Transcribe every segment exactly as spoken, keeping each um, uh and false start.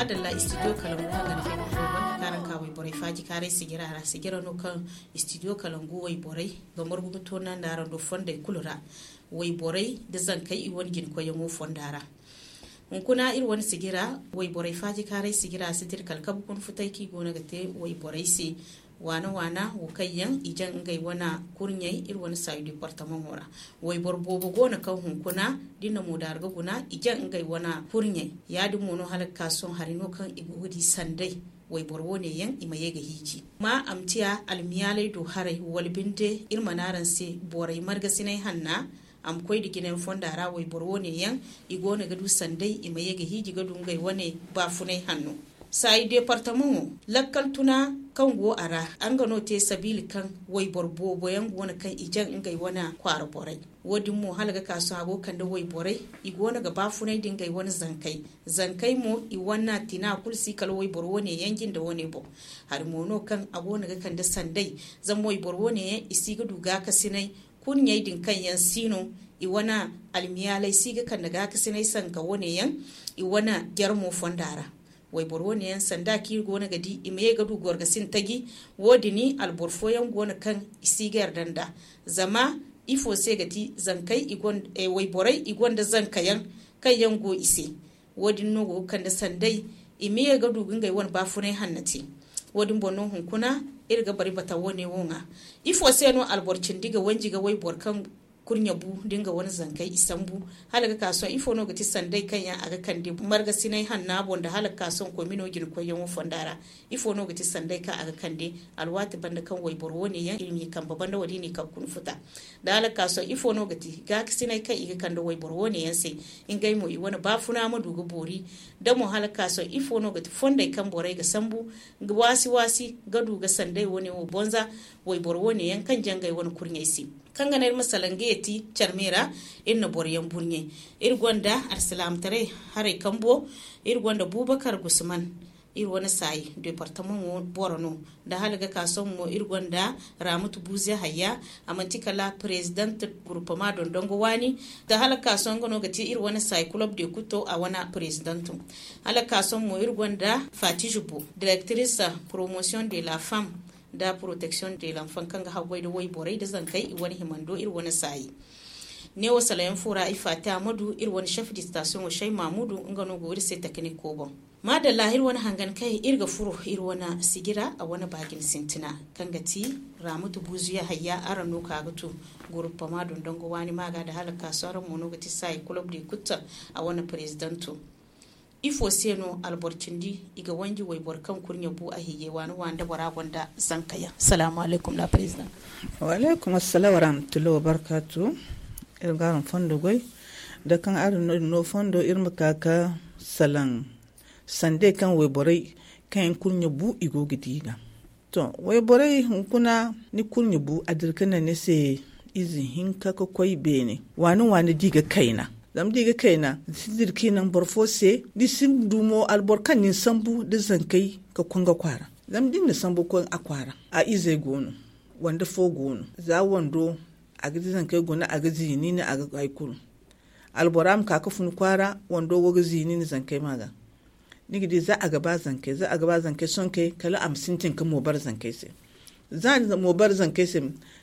Adalla istidiyo kalangu hangan fay no furo ban karan ka wayborey faaji kaaray sijira ra sijira no kaŋ istidiyo kalangu wayborey ga margu ga toonandi araŋ do fondey kulu ra. Wayborey da zankey i wane jinkoyyaŋo fonda ra. Hunkuna iri wane sijira wayborey faaji kaaray sijira si dira kala kabe kuna futay kaŋ i goono ga te wayborey se. Waana waana wo kaŋ yaŋ i jaŋ ngey wane kurɲey iri wane saayu departamaŋo ra. Wayboro boobo go no kaŋ hunkuna da i na moodaaru ga guna i jaŋ ngey wane kurɲey. Ya- din mo no hala ga ka sohõ hari no kaŋ i go ga di sanday. Wayboro wo- ne yaŋ i ma ye ga hiiji ma a ma ciya almiyaaley do haray wala binde iri mana araŋ se borey margasinay hanna. A ma koy nda jinayaŋ fonda ra wayboro wo- ne yaŋ i go no ga du sanday i ma ye ga hiiji ga du ngey wane baafunay hanno. Saayi departamaŋo lakkal tuna kaŋ go a ra nga no te sabiila kaŋ wayboro boobo yaŋ go no kaŋ i jaŋ ngey wane kwaara borey. Wo- din mo hala ga ka sohõ a go ga kande wayborey i go no ga baafunay nda ngey wane zankey. Zankey mo i wane tina kulu si kala wayboro wo- ne yaŋ jinde wo- ne boŋ. Hari mo no kaŋ a go no ga kande sanday. Zama wayboro wo- ne yaŋ i si ga du gaakasinay kurɲey din kaŋ yaŋ si no i wane almiyaaley si ga kande gaakasinay sanka wo- ne yaŋ i wane jarmo fonda ra. Wayboro wo- ne yaŋ sanda kaŋ iri go no ga di i ma ye ga du gorgasin taji. Wo- din alboro fooyaŋ go no kaŋ i si ga yarda nd'a. Zama ifo se ga ti zankey i gonda wayborey i gonda zanka yaŋ kaŋ yaŋ go i se. Wo- din no go ga kande sanday i ma ye ga du ga ngey wane baafunay hanna te. Wo- din boŋ no hunkuna iri ga bari bata wo- ne wo ŋwa. Ifo se no alboro cindi ga wanji ga wayboro kaŋ kurɲe bu da nga wane zankey i sambu? Hala ga ka sohõ ifo no ga ti sanday kaŋ yaŋ a ga kande margasinay hanna boŋ nda hala ga ka sohõ komino jina koyyaŋo fonda ra? Ifo no ga ti sanday kaŋ a ga kande alwaati banda kaŋ wayboro wo- ne yaŋ i n'i kambe banda wala i n'i kaŋ kuna futa? Da hala ga ka sohõ ifo no ga ti gaakasinay kaŋ i ga kande wayboro wo- ne yaŋ se? Ngey mo i wane baafuna ma du ga boori da mo hala ga ka sohõ ifo no ga ti fondey kaŋ borey ga sambu waasi waasi ga du ga sanday wo- ne wo bonza wayboro wo- ne yaŋ kaŋ jaŋ ngey wane kurɲey se? Kaŋ ga naŋ iri ma salaŋ ga yeeti carmey ra iri na boro yaŋ burɲey. Iri gonda alsilaamataray haray kambo. Iri gonda buubakar gusman iri wane saayi departamaŋo boro no. Da hala ga ka sohõ mo iri gonda raamatu buuze hayya. A manti kala perezident guruppama dondongo waani. Da hala ga ka sohõ nga no ga te iri wane saayi kulob de kutto a wane perezidento. Hala ga ka sohõ mo iri gonda fatije bo directrice promotion de la femme da protection de l'enfant kaŋ ga haggoy nda wayborey nda zankey i wane himando iri wane saayi. Neewo salayaŋ fo ra i faati a ma du iri wane chef de station wo shay mamudu nga no go iri se takaniko boŋ. Maadalla iri wane hangan kay iri ga furo iri wane sijira a wane baajin sintina kaŋ ga ti raamatu buuzuya hayya araŋ no ka ga tu guruppama dondongo waani maaga nda hala ga ka sohõ araŋ mo no ga ti saayi kulob de kutta a wane perezidento. Ifo se no alboro cindi i ga wanji wayboro kaŋ kurɲe bu a hiijay waani waani nda bora gonda zanka yaŋ? Salaamu alaykum la perezida. Wa alaykum assalaam wa rahmatullahi wa barkaatu. Iri ga araŋ fondo goy da kaŋ araŋ no fondo iri ma ka ga salaŋ sandey kaŋ wayborey kaŋ yaŋ kurɲe bu i go ga di ga. To wayborey hunkuna ni kurɲe bu a dira ga naŋ ni se ize hinka ga koy beene waani waani da i ga kayna. Zama da i ga kayna ni si dira ga i naŋ boro fo se ni si du mo alboro kaŋ ni na sambu nda zankey ga koy nga kwaara. Zama da ni na sambu ga koy a kwaara a izey go no wando fo go no za wando a ga di zankey guna a ga ziini ni a ga hay kulu. Albora ma ka ga fun kwaara wando wo ga ziini ni zankey ma ga. Ni ga di za a ga ba zankey za a ga ba zankey sohõ kay kala a ma sintin ga moobare zankey se. Za a na moobare zankey se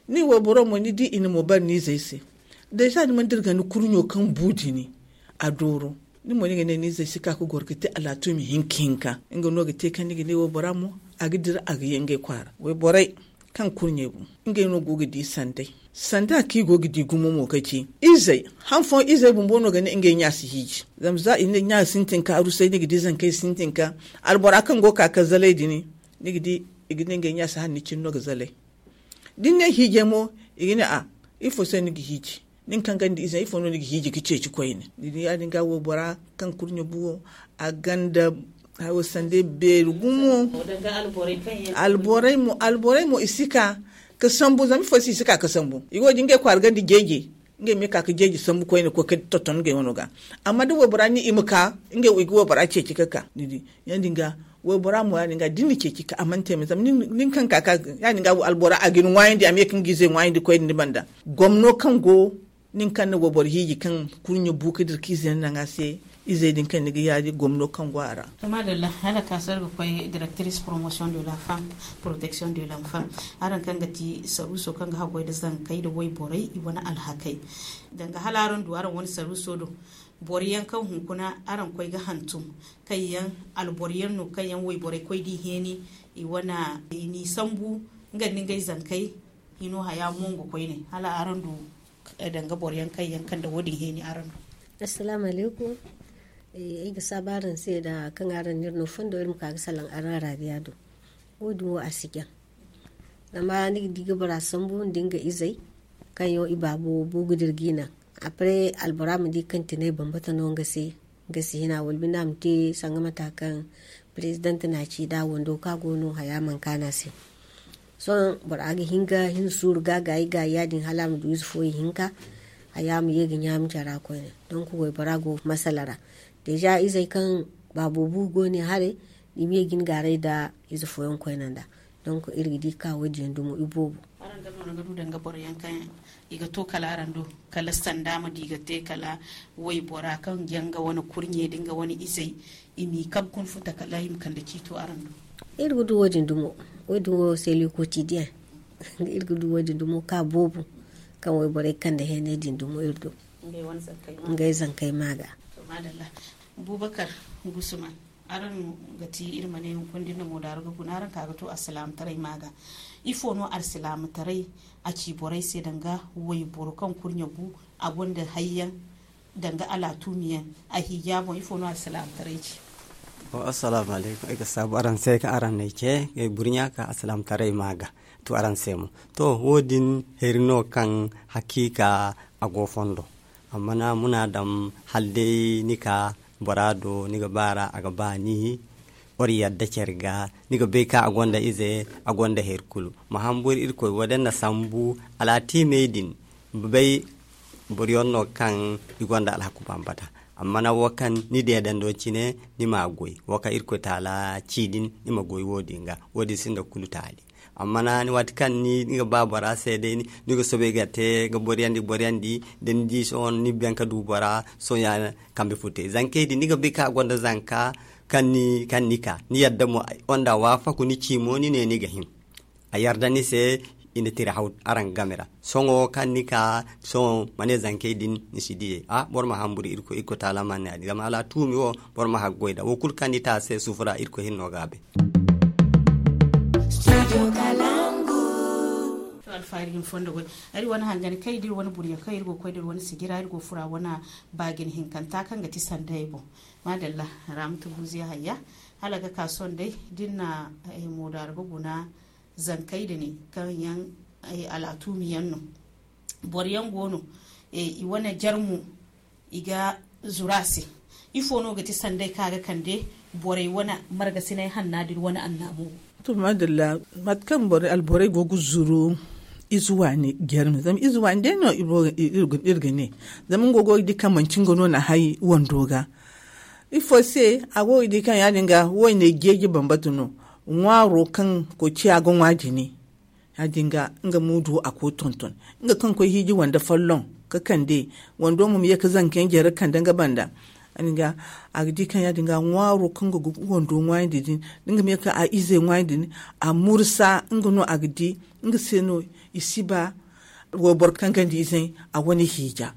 nin wayboro mo ni di i na moobare ni izey se. Day za ni mana dira ga ni kurɲo kaŋ bu dini a dooro ni mo ni ga ne ni izey si ka ga goro ga te alaatumi hinka hinka nga no ga te kaŋ ni ga ne waybora mo a ga dira a ga ye ngey kwaara wayborey kaŋ kurɲey bu ngey no go ga di sanday. Sanda kaŋ i go ga di gumo mo ga ci izey han fooyaŋ izey bumbo no ga ne ngey ɲa si hiiji. Zama za i ne ɲa sintin ka arusay ni ga di zankey sintin ka albora kaŋ go ga ka ga zalay dini ni ga di i ga ne ngey ɲa si hanni cine no ga zalay. Da ni ne hiijay mo i ga ne a ifo se ni ga hiiji? Nin kaŋ ganda ize ifo no ni ga hiiji ga ceeci koyne ni di ya- din ga waybora kaŋ kurɲe bu wo a ganda hayo sande beeri gumo. Alborey mo alborey mo i si ka ga sambu zama ifo se i si ka ga sambu i go din ga kwaara ganda jeeje. Ngey ma ye ka ga jeeje sambu koyne ga koy ga tonton ngey wano ga. Amma da waybora ni i ma ka ngey i ga waybora ceeci ga ka ni di ya- din ga waybora mo ya- din ga da ni na ceeci ka a mana te me zama nin kaŋ ga ka ya- din ga albora a ga ni ŋwaayandi a ma ye ka nga ize ŋwaayandi koyne ni banda. Gomno kaŋ go Nin kaŋ na wayboro hiiji kaŋ kurɲe bu ka dira ka izey naŋ a se, izey din kaŋ ni ga yaadi gomno kaŋ go a ra. To madalla, hala ka sohõ iri ga koy directrice promotion de la femme, protection de l'enfant. Araŋ kaŋ ga ti saruuso kaŋ ga haggoy nda zankey nda wayborey i wane alhakey, danga hala araŋ du araŋ wane saruuso do boro yaŋ kaŋ hunkuna araŋ koy ga hantum, kaŋ yaŋ alboro yaŋ no kaŋ yaŋ wayborey koy da i heeni, i wane i n'i sambu nga nda ngey zankey hino haya mongo koyne hala araŋ du danga boro yaŋ kaŋ yaŋ kande wo- din heeni araŋ do. Assalaamu alaykum. Ay ga saabu araŋ se nda kaŋ araŋ na iri no fondo iri ma ka ga salaŋ araŋ raabiya do. Wo- din wo a si jaŋ. Zama ni ga di ga bora sambu nda nga izey kaŋ yaŋ i baabo bu ga dira ga i naŋ. Après albora ma di kaŋ tinay bambata no nga se, nga si hina wala binde a ma te sanga mata kaŋ president na ci da wando kaŋ a go no haya mana kaanu a se. Sohõ bora ga hin ga hin suuru ga gaayi gaayi ya- din hala a ma du ize fo ihinka. Haya ma ye ga ɲaami care ra koyne. Donc waybora go masala ra. Déjà izey kaŋ baabo bu go ne haray, i ma ye ga hin gaaray nda ize fooyaŋ koyne nda. Donc iri ga di ka wo- din yaŋ dumo i boobo. Araŋ ga no ni ga du danga boro yaŋ kaŋ i ga to kala araŋ do, kala sanda ma di ga te kala waybora kaŋ ga nga wane kurɲe nda nga wane izey, i m'i kabe kuna futa kala i ma kande ciito araŋ do. Iri ga du wo- din dumo. Wo- din wo c'est le quotidien. Iri ga du wo- din dumo ka boobo kaŋ wayborey kande heeney din dumo iri do. Ngey zankey ma ga. Bubakar, gusuma, araŋ ga ti iri ma ne hunkuna da iri na moodaaro ga guna araŋ ka ga to alsilaamataray ma ga. Ifo no alsilaamataray a ci borey se danga wayboro kaŋ kurɲe gu a gonda hayyaŋ danga alaatuumi yaŋ a hiija boŋ ifo no alsilaamataray ci? Assalaamu alaykum, ay ga saabu araŋ se kaŋ araŋ n'ay ce ay burɲa ka alsilaamataray ma ga. To araŋ se mo, to wo- din hari no kaŋ hakiika a go fondo. Amma na muna daŋ hala day ni ka bora do ni ga baara a ga ba ni. War yadda care ga ni ga bay kaŋ a gonda ize, a gonda hari kulu ma hamburu irkoy wo- din na sambu. Alaatiimey din bay boro yaŋ no kaŋ i gonda alhaku bambata. Amma na wo kaŋ ni deedando cine ni ma goy wo kaŋ irkoy taala ci din ni ma goy wo- din ga. Wo- din sinda kulu taali. Amma na ni waati kaŋ ni ga ba bora se day ni ga soobay ga te ga boriyandi boriyandi da ni di sohõ ni baŋ ka du bora sohõ ya kambe furtay zankey din ni ga bay kaŋ a gonda zanka kaŋ ni ka ni yadda mo wanda waafaku ni ci mo ni ne ni ga hin. A yarda ni se i na tira haw araŋ game ra. Sohõ kaŋ ni ka sohõ ma ne zankey din ni si diyey a boro ma hamburu irkoy taala ma ne a din zama alaatuumi wo boro ma haggoy nda wo kulu kaŋ ni te a se suufu ra irkoy hinno ga a bay. Alfaari din fondo goy. Ay wane hangani kaŋ i da iri wane burɲo kaŋ iri go ga koy da iri wane sijira iri go ga fura wane baagin hinkanta kaŋ ga ti sanday boŋ. Maadalla. Raamatu buuziya hayya hala ga ka sohõ day da iri na moodaaro ga guna zankey din kaŋ yaŋ alaatuumi yaŋ no. Boro yaŋ go no i wane jarmu i ga zuru a se. Ifo no ga ti sanday kaŋ a ga kande borey wane margasinay hanna da iri wane annaamo? To maadalla. Mate kaŋ borey alborey go ga zuru ize waani jarmu zama ize waani day no iri ga ne zama nga go ga di kaŋ manci nga no na hay wando ga. Ifo se a go ga di kaŋ ya- din ga wayne jeeji bambata no. Ŋwaaro kaŋ koy ciya ga ŋwa jine ya- din ga nga muudu a koy tonton nga kaŋ koy hiiji wande folloŋ ka kande wando mo ma ye ga zanka yaŋ jare ga kande nga banda. A ga di kaŋ ya- din ga ŋwaaro kaŋ ga wando ŋwaayandi din da nga ma ye ga a ize ŋwaayandi din a mursa nga no a ga di nga se no i si ba wayboro kaŋ ganda ize a wane hiija.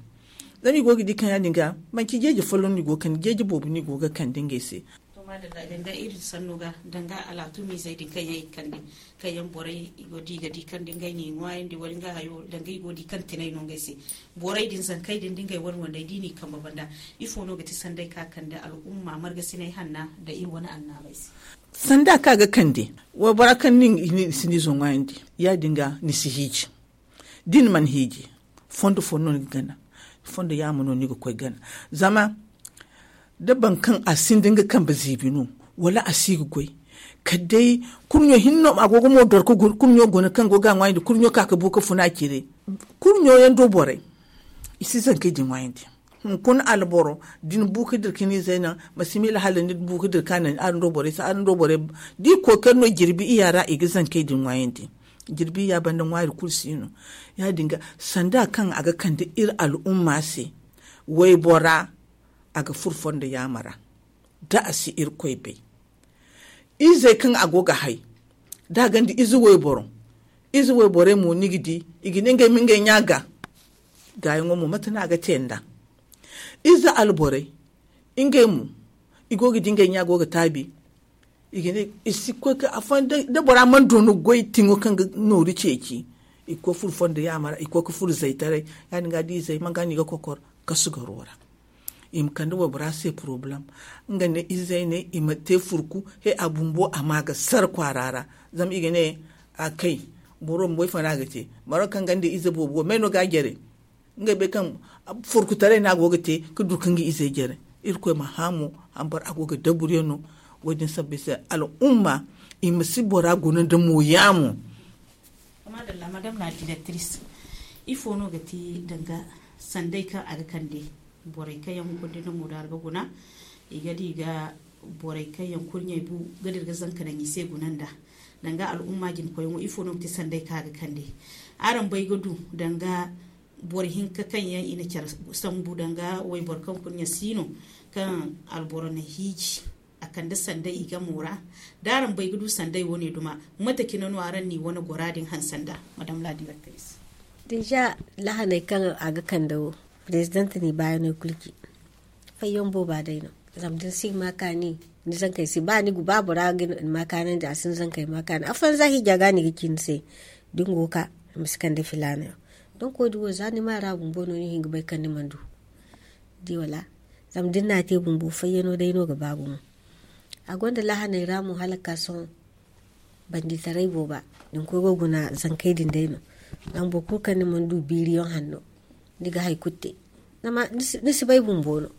Zama i go ga di kaŋ ya- din ga manci jeeji folloŋ no i go ga kande jeeji boobo no i go ga kande ngey se. To maadalla danga iri sanno ga danga alaatumiizey din kaŋ yaŋ i ga kande kaŋ yaŋ borey i go da i ga di kaŋ da ngey n'i ŋwaayandi wala nga hayo danga i go ga di kaŋ tinay no ngey se. Borey din zankey din da ngey wane wandey da i n'i kambe banda ifo no ga ti sanday kaŋ a kande al'umma margasinay hanna nda iri wane annaabey se? Sanda kaŋ a ga kande waybora kaŋ ni si ni izo ŋwaayandi ya- din ga ni si hiiji. Da ni mana hiiji fondo fo no ni ga gana. Fondo yaamo no ni ga koy gana zama da boro kaŋ a sinda nga kambe ziibi no wala a si ga goy kala day kurɲo hinne no a go ga mo doro ka guna kurɲo guna kaŋ go ga a ŋwaayandi kurɲo ka ga bu ga funa a cire. Kurɲo yaŋ do borey i si zankey din ŋwaayandi. Hunkuna alboro da ni bu ga dira ka ni izey naŋ ma si miila hala ni bu ga dira ka naŋ araŋ do borey se araŋ do borey da i kookari no jirbi iya ra i ga zankey din ŋwaayandi. Jirbi ya banda ŋwaari kulu si no. Ya- din ga sanda kaŋ a ga kande iri al'umma se, waybora a ga furo fondo yaama ra da a si irkoy bay. Izey kaŋ a go ga hay da a gonda ize wayboro, ize wayborey mo ni ga di i ga ne ngey ma ngey ɲa ga. Gaayaŋo mo mate no a ga te nd'a? Ize alborey, ngey mo i go ga di ngey ɲa go ga taabi. I ga ne i si koy ka afooyaŋ da bora mana doona goy tiŋo kaŋ ga nooru ceeci, i ga koy furo fondo yaama ra, i ga koy ga furo zaytaray. Ya- din ga da izey man ga no i ga kokor kasu garo ra. I ma kande waybora se porobalem. Nga ne izey ne i ma te furku he a bumbo a ma ga sara kwaara ra. Zama i ga ne a kay boro ma bay fo no a ga te. Boro kaŋ gonda ize boobo wo may no ga a jare. Ngey bay kaŋ furkutaray no a go ga te ka du ka nga izey jare. Irkoy ma hã mo hambara a go ga daburyaŋ no. Wo- din sabbay se al'umma i ma si bora guna nda mooya mo. Madalla madam la directrice, ifo no ga ti danga sanday kaŋ a ga kande borey kaŋ yaŋ hunkuna din no moodar ga guna? I ga di ga borey kaŋ yaŋ kurɲey bu ga dira ga zanka daŋ i se guna nda danga al'umma jina koyyaŋo ifo no ga ti sanday kaŋ a ga kande? Araŋ bay ga du danga boro hinka kaŋ yaŋ i na care sambu danga wayboro kaŋ kurɲe si no kaŋ alboro na hiiji a kande sanday i gamo ra? Da araŋ bay ga du sanday wane duma mate cine no araŋ n'i wane gora din hanse nda? Madam la directrice. Deja lahaney kaŋ a ga kande wo president n'i baayaney kulu ci fayyaŋ booba day no. Zama da ni si ga ma kaani ni zankey se ba ni ga ba bora ga ni ma kaanandi a si ni zankey ma kaani afooyaŋ za hiija ga no i ga ci ni se. Da ni go ga ka ni ma si kande filaana yaŋ. Donk wo- din wo za ni ma ra bumbo no ni hin ga bay kaŋ ni mana du. Di wala? Zama da ni n'a te bumbo fayyano day no ga ba gumo. A gonda lahaney ra mo hala ga ka sohõ banditaray booba da ni koy ga guna zankey din day no. Zama boro kulu kaŋ ni mana du biiriyaŋ hanno ni ga hari kulu te. Zama ni si bay bumbo no.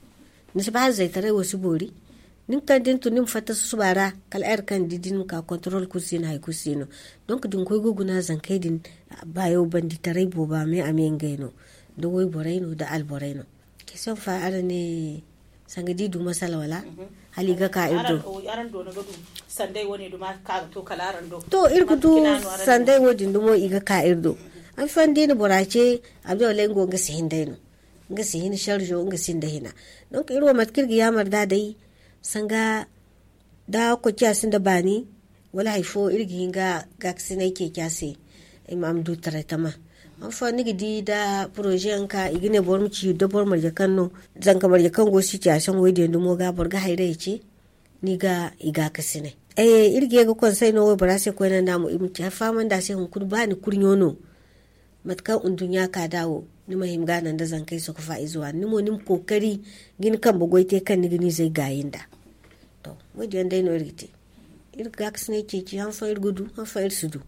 Ni si bay hala zaytaray wo si boori. Nin kaŋ da ni tun ni ma fatta susuba ra kala heure kaŋ ni di da ni ma ka contrôle kulu si no hari kulu si no. Donk da ni koy ga guna zankey din baayo banditaray booba me a me ngey no. Da wayborey no da alborey no. Question fa araŋ ne sanga da i du masala wala? Hala i ga ka iri do. Araŋ doona ga du sanday wane duma ka ga to kala araŋ do to iri ga du sanday wo- din dumo i ga ka iri do. An fan da i na bora ce abdullah nga wo nga si hin day no. Nga si hin sharjo nga si nda hina. Donk iri wo mate kaŋ iri ga yaamar da day sanga da koy ciya sinda baani wala hari fo iri ga hin ga gaakasinay ceeci a se. I ma a ma du taray tama han fo ni ga di da poroze yaŋ ka i ga ne boro ma ci da boro marje kaŋ no zanka marje kaŋ go sitiyaasiyoŋ wo- din yaŋ dumo ga boro ga hayrayey ce. Ni ga i gaakasinay iri ga ye ga konsey no waybora se koyne nda mo i ma ci hari fahamandi a se hunkuna ba ni kurɲo no. Mate kaŋ nduɲɲa ka da wo ni ma hima ga naŋ da zankey sokofa ize waani ni mo ni ma kookari ga ni kambe goy te kaŋ ni ga ni zay gaayi nda. To wo- din yaŋ day no iri ga te. Iri ga gaakasinay ceeci han fooyaŋ iri ga du han fooyaŋ iri si du.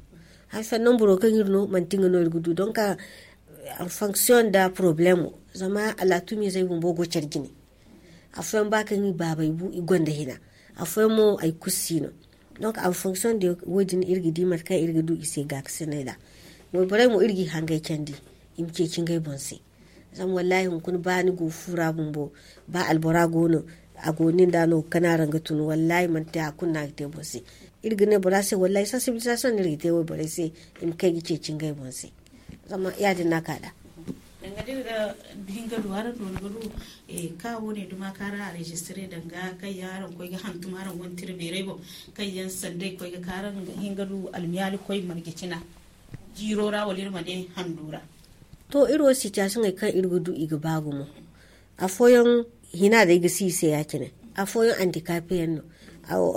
Han fooyaŋ nomburo kaŋ iri no manti nga no iri ga du donk en fonction da problemo. Zama alaatumi zey bumbo go care jine. Afooyaŋ ba kaŋ i baabey bu i gonda hina. Afooyaŋ mo hari kulu si no. Donk en fonction de wo- din iri ga di mate kaŋ iri ga du i se gaakasinay ra. Wayborey mo iri ga i hangay candi i ma ceeci ngey boŋ se. Zama wallahi hunkuna ba ni go fu ra bumbo ba albora go no a go nin da no ga kana ra nga tun wallahi manti hari kulu no a ga te boro se. Iri ga ne bora se wallahi sensibilisation no iri ga te wayborey se i ma kay ga ceeci ngey boŋ se. Zama ya- din no a ka da. Danga da iri ga hin ga du araŋ do ni ga du ka wo- ne duma ka araŋ enregistre danga kaŋ yaŋ araŋ koy ga hantum araŋ wane tira beeray boŋ kaŋ yaŋ sanday koy ga ka araŋ hin ga du almiyaali koy marje cina jiiro ra wala iri ma ne hando ra? To iri wo sitiyasiyoŋey kaŋ iri ga du i ga ba gumo. Afooyaŋ hina day ga si i se ya- cine. Afooyaŋ andikape yaŋ no.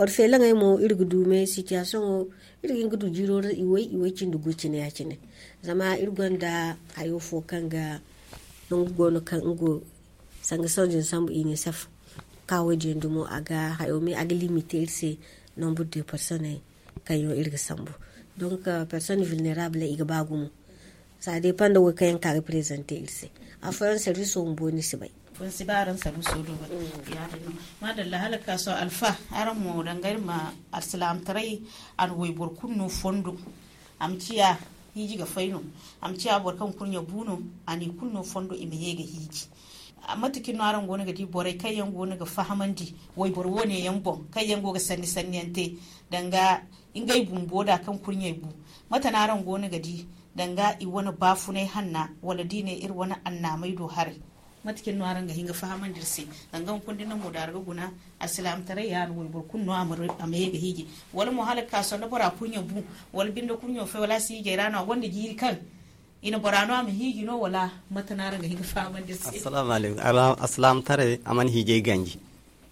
Orfelaŋey mo iri ga du me sitiyasiyoŋo iri ga hin ga du jiiro ra iway iway cindi gu cine ya- cine. Zama iri gonda hayo fo kaŋ ga nangu go no kaŋ nga go sanga sonjin sambu inisef. Ka wo- din yaŋ dumo a ga hayo me a ga limite iri se nombre de personnes kaŋ yaŋ iri ga sambu. Donc personnes vulnérables i ga ba gumo. Sa dépend da wo kaŋ yaŋ ka ga présenter iri se. Afooyaŋ service wo bumbo ni si bay. Fun si ba araŋ saruso do ba. Ya- din no. Madalla hala ga ka sohõ alfa araŋ mo danga iri ma alsilaamataray a na wayboro kulu no fondo. A ma ciya hiiji ga fay no. A ma ciya boro kaŋ kurɲe bu no. A n'i kulu no fondo i ma ye ga hiiji. Mate cine no araŋ go no ga di borey kaŋ yaŋ go no ga fahamandi wayboro wo- ne yaŋ boŋ, kaŋ yaŋ go ga sanni sanni yaŋ te danga ngey bumbo da kaŋ kurɲey bu? Mate no araŋ go no ga di danga i wane baafunay hanna, wala da i ne iri wane annaamey do haray? Mate cine no araŋ ga hin ga fahamandi iri se? Danga hunkuna da ni na mo daara ga guna, alsilaamataray ya no wayboro kulu no a ma ye ga hiiji, wala mo hala ga ka sohõ da bora kurɲe bu, wala binde kurɲo fay, wala a si hiijay ra no, a gonda jiiri kaŋ i na bora no a ma hiiji no, wala mate no araŋ ga hin ga fahamandi iri se? Assalamu alaikum. Alsilaamataray a mana hiijay ganji.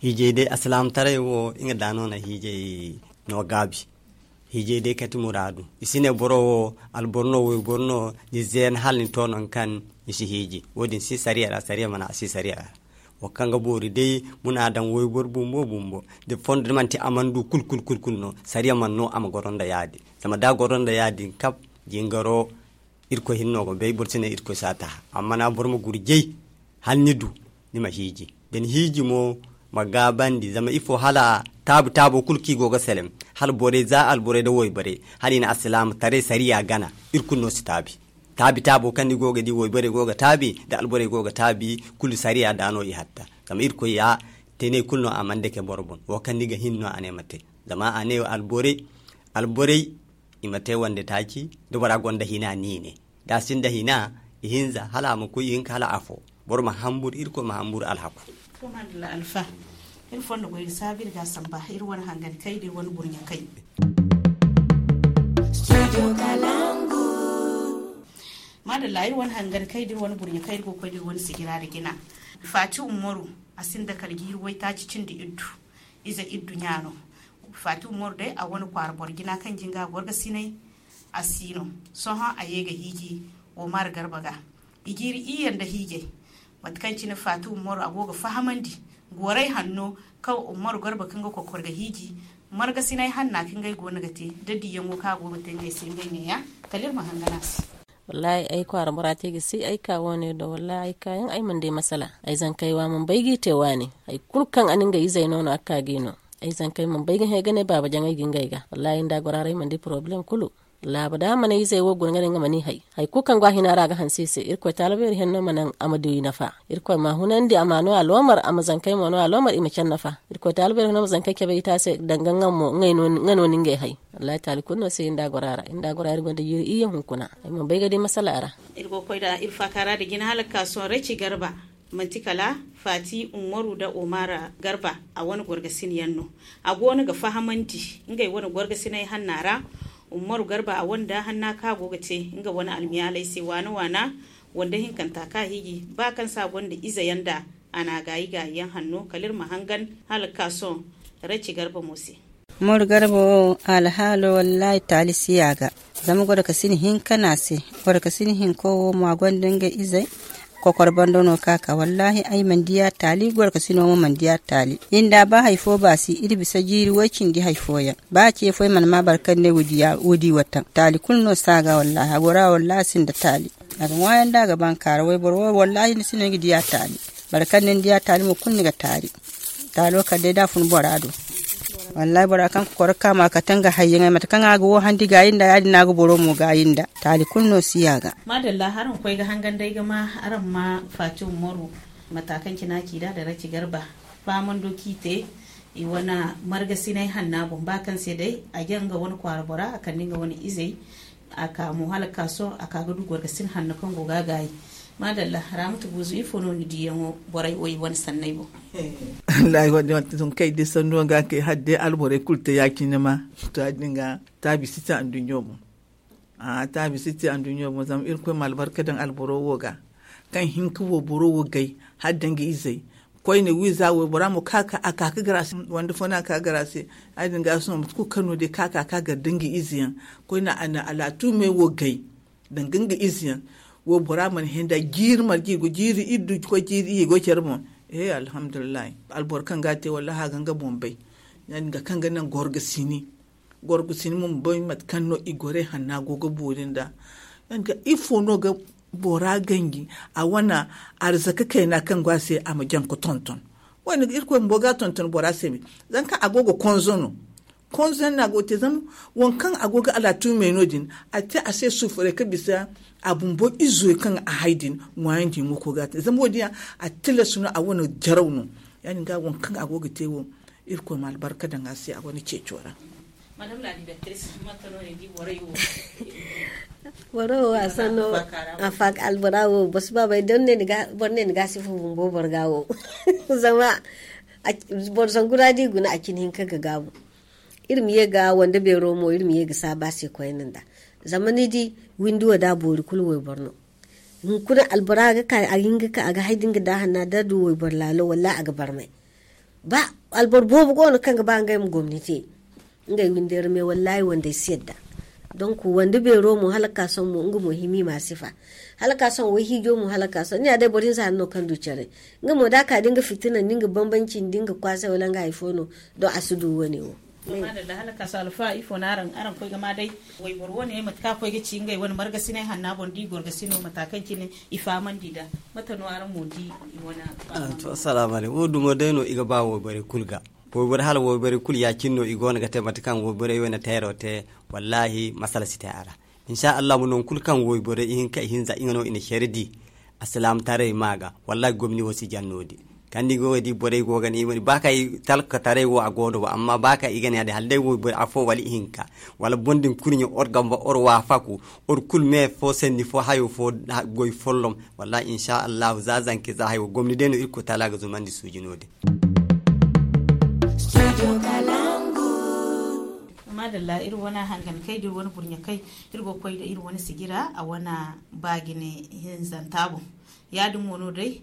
Hiijay day, alsilaamataray wo nga da no na hiijay no gaabi. Hiijay day kati muraadu. I si ne boro wo alboro no, wayboro no, ni zeena hala ni to nangu kaŋ ni si hiiji. Wo- din si sariya ra, sariya mana a si sariya ra. Wo kaŋ ga boori day, muna daŋ wayboro bumbo bumbo, da fondo da manti a mana du kulu kulu kulu kulu no, sariya mana no a ma goro nda ya- din. Zama da a goro nda ya- din kab, jingaro, irkoy hinne no ga bay, boro si ne irkoy si a taha. Amma na boro ma gurjay hala ni du, ni ma hiiji. Da ni hiiji mo, ma gaabandi. Zama ifo? Hala taabi taabo kulu kaŋ i go ga selem, hala borey za alborey nda wayborey, hala i na alsilaamataray sariya gana, iri kulu no si taabi. Taabi taabo kaŋ ni go ga di, wayborey go ga taabi, da alborey go ga taabi, kulu sariya da no i hatta. Zama irkoy ya teenay kulu no a mana dake boro boŋ. Wo kaŋ ni ga hin no a ne ma te. Zama a ne alborey, alborey, i ma te wande taaci. Da bora gonda hina, ni ne da a sinda hina, ihinza hala a ma koy, ihinka hala afo. Boro ma hamburu, irkoy ma hamburu alhaku. To madalla alfa, iri fondo goy ga saabu iri ga samba iri wane hangan kay da iri wane burɲa kay. Madalla, iri wane hangan kay da iri wane burɲa kay, iri go ga koy da iri wane sijira da jina. Fati umaru, a sinda kala jiiri waytaaci cindi iddu. Ize iddu ɲa no. Fati umaru day a wane kwaara boro jina kaŋ jinga gorga sinay. A si no. Sohõ a ye ga hiiji wo mara garba ga. I jiiri iyye nda hiijay. Mate kaŋ cine fati umaru a go ga fahamandi goray hanno kaŋ umaru garba kaŋ ga kokor ga hiiji marga sinay hanna kaŋ ngey go no ga te da diyaŋo kaŋ a go ga te ngey se ngey neeya. Kala iri ma hangan a se. Wallahi ay kwaara bora te ga si ay ka wo- ne do, wallahi ay ka yaŋ ay mana di masala. Ay zankey wa mana bay ga i te waani. Hari kulu kaŋ a na ngey izey no no a ga ka ga i no. Ay zankey mana bay ga hẽ ga ne baaba jaŋay ga ngey ga. Wallahi nda gora ra ay mana di poroblem kulu. Laaba da a mana izey wo guna ga ne nga mana i hay. Hari kulu kaŋ go a hina ra a ga hanse i se. Irkoy taalabeeri henno ma naŋ a ma du i nafa. Irkoy ma a hunandi, a ma no a loomar, a ma zankey mo no a loomar, i ma care nafa. Irkoy taalabeeri henno ma zankey cabe i te a se danga nga mo nga no ni ngey hay. Wallahi taali kulu no se inda gora ra inda gora iri gonda jiiri iyye hunkuna. Ay mana bay ga di masala ra. Iri go ga koy da iri faaka ra da jina hala ga ka sohõ raci garba. Manti kala fati umaru da omara garba. A wane gorgasin yaŋ no. A go no ga fahamandi ngey wane gorgasiney hanna ra. Umaru garba a wane da hanna kaŋ a go ga te nga wane almiyaaley se waana waana. Wande hinkanta kaŋ a hiiji ba kaŋ se a gonda ize yaŋ da a na a gaayi gaayi yaŋ hanno kala iri ma hangan hala ga ka sohõ. Raci garba mo se. Moro garba wo alhaalo wallaahi taali si a ga. Zama gorkasin hinka no a se. Gorkasin hinko wo mo a gonda ngey izey. Kokor bando no kaŋ a ka wallaahi ay mana di a taali gorkasino mo mana di a taali. Inda ba hari fo ba si iri bisa jiiri way cindi hari fooyaŋ. Ba ce fo ay mana ma boro kaŋ ne woodi wataŋ taali kulu no si a ga wallaahi a gora wallaahi a sinda taali. A ga ŋwaayaŋ da a ga bankaara wayboro wo wallaahi ni si no ay ga di a taali. Boro kaŋ ni di a taali mo kulu ni ga taali. Taalo kala day da a fun bora do. Wallaahi bora kaŋ ga koro ga ka ma kate nga hayyaŋey mate kaŋ a ga wo handi gaayi nda ya- din no a ga boro mo gaayi nda. Taali kulu no si a ga. Maadalla araŋ koy ga hangan day ga ma araŋ ma faati umaru. Mata kaŋ cina ci da da raci garba. Fahamando kaŋ i te i wane margasinay hanna boŋ ba kaŋ se day a jaŋ nga wane kwaara bora a kande nga wane izey. A ka mo hala ga ka sohõ a ka ga du gorgasin hanno kaŋ go ga a gaayi. Maadalla, raamatu buuzu ifo no ni diyaŋo borey wo i wane sanney boŋ? Wallaahi wadde wante tun kay day sanno ga kay hala day alborey kulu te ya- cine ma. To ya- din ga taabi si te anduɲɲo boŋ. A taabi si te anduɲɲo boŋ zama irkoy ma albarka daŋ alboro wo ga. Kaŋ hinka wo boro wo gay hala da nga izey. Koyne wiiza waybora mo ka ka a ka ka gara se wande fo no a ka gara se. Ay din ga sohõ mate kulu kaŋ no day ka ka ka gara da nga izeyaŋ. Koyne a na alaatu me wo gay danga nga izeyaŋ. Waybora mana henda jiiri marje go jiiri iddu koy jiiri iyye go care boŋ. He alhamdulillahi. Alboro kaŋ ga te wallahi a ga nga boŋ bay. Ya- din ga kaŋ ga naŋ gorga sini. Gorgu sini mo ma bay mate kaŋ no i gorey hanna go ga boori nda. Nga ifo no ga bora ganji a wane arzaka kayna kaŋ go a se a ma jaŋ ka tonton. Wayne ga irkoy bumbo ga tonton bora se me. Zama kaŋ a go ga konzo no. Konzan no a go ga te zama waŋ kaŋ a go ga alaatumey no- din, a te a se suufuray ga bisa a bumbo izo kaŋ a hay din ŋwaayandi yaŋo ga koy ga a te zama wo- din yaŋ a tilas no a wane jaraw no. Ya- din ga waŋ kaŋ a go ga te wo, irkoy ma albarka daŋ a se a wane ceeco ra. Boro wo a sanno a faaka albora wo boro si ba bay da boro ne ni ga a sifa bumbo boro ga wo. Zama boro zangu ra da i guna a cine hinka ga gaabu. Iri ma ye ga wande beero mo iri ma ye ga saabu a se koyne nda zama ni di windi wo da a boori kulu wayboro no. Hunkuna albora ga ka a ga hin ga ka a ga hay da nga da hanna da du wayboro laalo wallahi a ga barmay. Ba alboro boobo go no kaŋ ga ba ngey ma gomni te ngey windey ra me wallahi wandey si yadda. Donk wande beero mo hala ga ka sohõ mo nga mo hima i ma a sifa. Hala ga ka sohõ wayhiijo mo hala ga ka sohõ ni ya day boro hinza hari no kaŋ du care. Nga mo da a ka da nga fitina nda nga bambanci nda nga kwaasay wala nga hari fo no. Don a si du wane wo. Hala ga ka sohõ alfa ifo no araŋ koy ga ma day? Wayboro wane mate kaŋ a koy ga ci ngey wane margasinay hanna boŋ da i goro ga sino mata kaŋ cine i fahamandi nd'a. Mate no araŋ mo di i wane? Assalaamu alaykum wo dumo day no i ga ba wayborey kulu ga. Wayborey hala wayborey kulu ya- cine no i go no ga te mate kaŋ wayborey wane teero te. Wallahi masala si te a ra. Insa allah mo nangu kulu kaŋ wayborey ihinka ihinza nga no i na care di. Alsilaamataray ma ga wallahi gomni wo si jaŋ no- din. Kaŋ ni go ga di borey go ga ne i ma di ba kaŋ talkataray wo a go no ba amma ba kaŋ i ga ne ya- din hala day wayborey afo wala ihinka wala boŋ din kurɲe or gamba or waafaku or kulu me fo sanni fo hayo fo goy follom. Wallahi insa allahu za zanka za hayo gomni day no irkoy taala ga zumandi suuji no- din. Maadalla iri wane hangankey da iri wane burɲakey. Iri go ga koy nda iri wane sijira a wane baajine hinzanta boŋ. Ya- din mo no day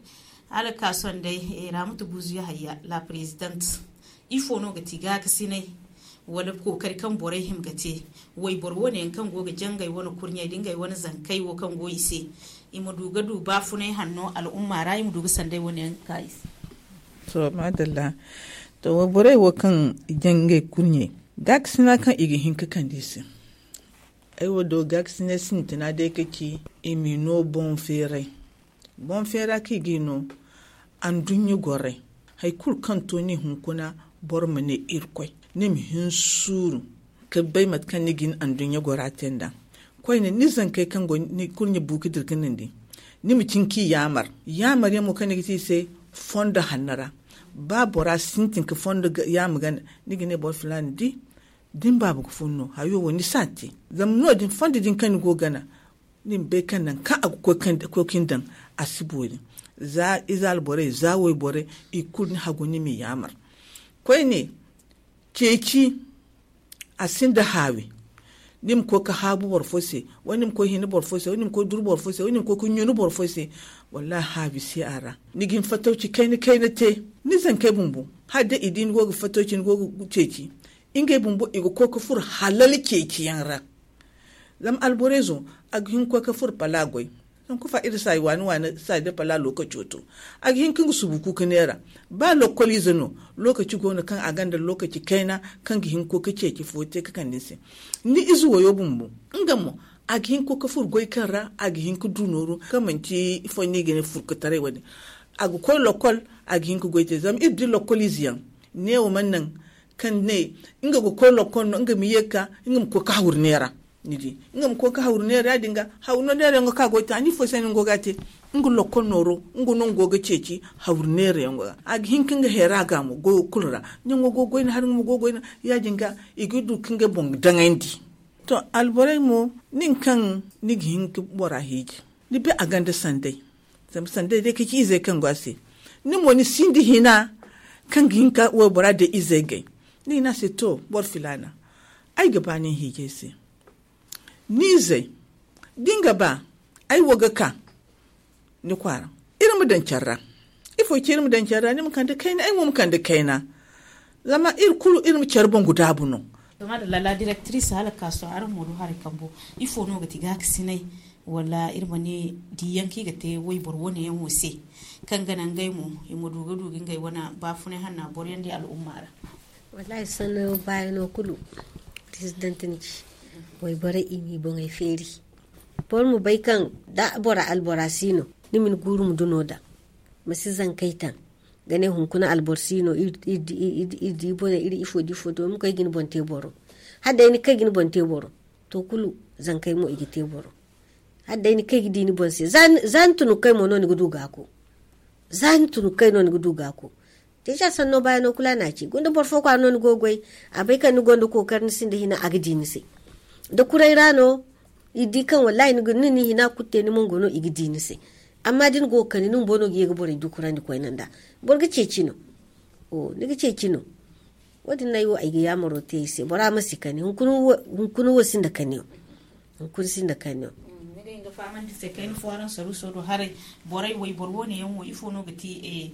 hala ga ka sohõ day raamatu buuzu yahaya la president. Ifo no ga ti gaakasinay wala kookari kaŋ borey hima ga te? Wayboro wane yaŋ kaŋ go ga jangay wane kurɲey da ngey wane zankey wo kaŋ go i se i ma du ga du baafunay hanno al'umma ra i ma du ga sanday wane yaŋ ga ka i se. To maadalla. To wayborey wo kaŋ i jaŋ ngey kurɲey gaakasina kaŋ i ga hin ga kande i se. Ay wo do gaakasinay sintina day ga ci i m'i no boŋ feeray. Boŋ feera kaŋ i g'i no anduɲɲa gorey. Hari kulu kaŋ to ni hunkuna boro ma ne irkoy ni ma hin suuru ga bay mate kaŋ ni ga ni anduɲɲa gora te nd'a. Koyne ni zankey kaŋ go ni kurɲe bu ga dira ga nandi ni ma cin kaŋ i yaamar. Yaamar yaŋ mo kaŋ ni ga te i se fondo hanno ra. Ba bora sintin ga fondo yaama gana ni ga ne boro filaana di da ni baaba ga fun no hayo wo ni si a te. Zama no- din fondo din kaŋ ni go ga gana ni ma bay kaŋ nangu kaŋ a ga koy ga ni daŋ a si boori. Za ize alborey za wayborey i kulu ni hagu ni m'i yaamar. Koyne ceeci a sinda haawi. Ni ma koy ga haabu boro fo se wala ni ma koy hina boro fo se wala ni ma koy duru boro fo se wala ni ma koy ga ɲuna boro fo se. Wallahi haawi si a ra ni ga hin fatawci kayna kayna te. Ni zankey bumbo hala day i di ni go ga fatawci ni go ga ceeci ngey bumbo i ga koy ga furo halal ceeciyaŋ ra. Zama alborey zo a ga hin ga koy ga furo pala goy. Zanka fa iri saayi waani waani saayi da pala lookaco to a ga hin ka nga subu kuuka neera. Ba lokkoliize no lookaci go no kaŋ a gonda lookaci kayna kaŋ ga hin ga koy ga ceeci fo te ga kande ni se. Ni ize wayo bumbo nga mo a ga hin ga koy ga furo goy kaŋ ra a ga hin ga du nooru kaŋ manci ifo no i ga ne furkataray wane. A ga koy lokkol a ga hin ga goy te zama iri di lokkoliize yaŋ neewo mana naŋ kaŋ ne nga ga koy lokkol no nga ma ye ga ka nga ma koy ga hawru neera. Ni di nga ma koy ga hawru neera ya- din ga hawru neera yaŋo kaŋ a go ga te a ni ifo se no nga go ga a te? Nga lokkol nooro nga no nga go ga ceeci hawru neera yaŋo ga a ga hin ka nga heera ga mo goyo kulu ra. Ɲaŋo go ga goy no hari nga mo go ga goy no ya- din ga i ga du ka ngey boŋ daŋandi. To alborey mo nin kaŋ ni ga hin ga bora hiiji ni bay a gonda sanday. Zama sanday day ga ci izey kaŋ go a se. Ni mo ni sinda hina kaŋ ga hin ka waybora day izey gay. Ni ga ne a se to boro filaana ay ga ba nin hiijay se. Ni izey da ni ga ba ay wo ga ka ni kwaara. Iri ma daŋ care ra ifo ga ci iri ma daŋ care ra ni ma kande kayna ay mo ma kande kayna. Zama iri kulu iri ma care boŋ ga daabu no. Zama da lala direktiris hala ga ka sohõ araŋ mo du haray kambo ifo no ga ti gaakasinay? Wala iri ma ne diyaŋ kaŋ i ga te wayboro wane yaŋ wo se kaŋ ga naŋ ngey mo i ma du ga du ga ngey wane baafunay hanna boroyaŋ di al'umma ra? Wallahi sanno baayano kulu president ni ci wayborey i m'i boŋey feeri. Boro ma bay kaŋ da bora albora si no ni ma ni guuru ma duno daŋ ma si zankey taŋ. ga ne hunkuna alboro si no iri di bone iri ifo di ifo to ma koy ga ni boŋ te boro. Hala day ni kay ga ni boŋ te boro, to kulu zankey mo i ga te boro. Hala day ni kay ga di ni boŋ se za ni tunu kay mo no ni ga du gaako. Za ni tunu kay no ni ga du gaako. Te sha sanno baya no kulu a na ci gunda boro fo kwaara no ni go goy. A bay kaŋ ni gonda kookari ni sinda hina a ga di ni se. Da kuray ra no i di kaŋ wallahi ni hina kulu te ni mango no i ga di ni se. Amma da ni go ga kani ni bumbo no ga ye ga borey dukurandi koyne nda boro ga ceeci no. Ni ga ceeci no. Wo- din no ay wo ay ga yaamaro te i se bora ma si kani hunkuna wo sinda kani. Hunkuna sinda kani. Ni ga hin ga fahamandi se kayna fo araŋ saruuso do haray. Borey wayboro wo- ne yaŋ wo ifo no ga te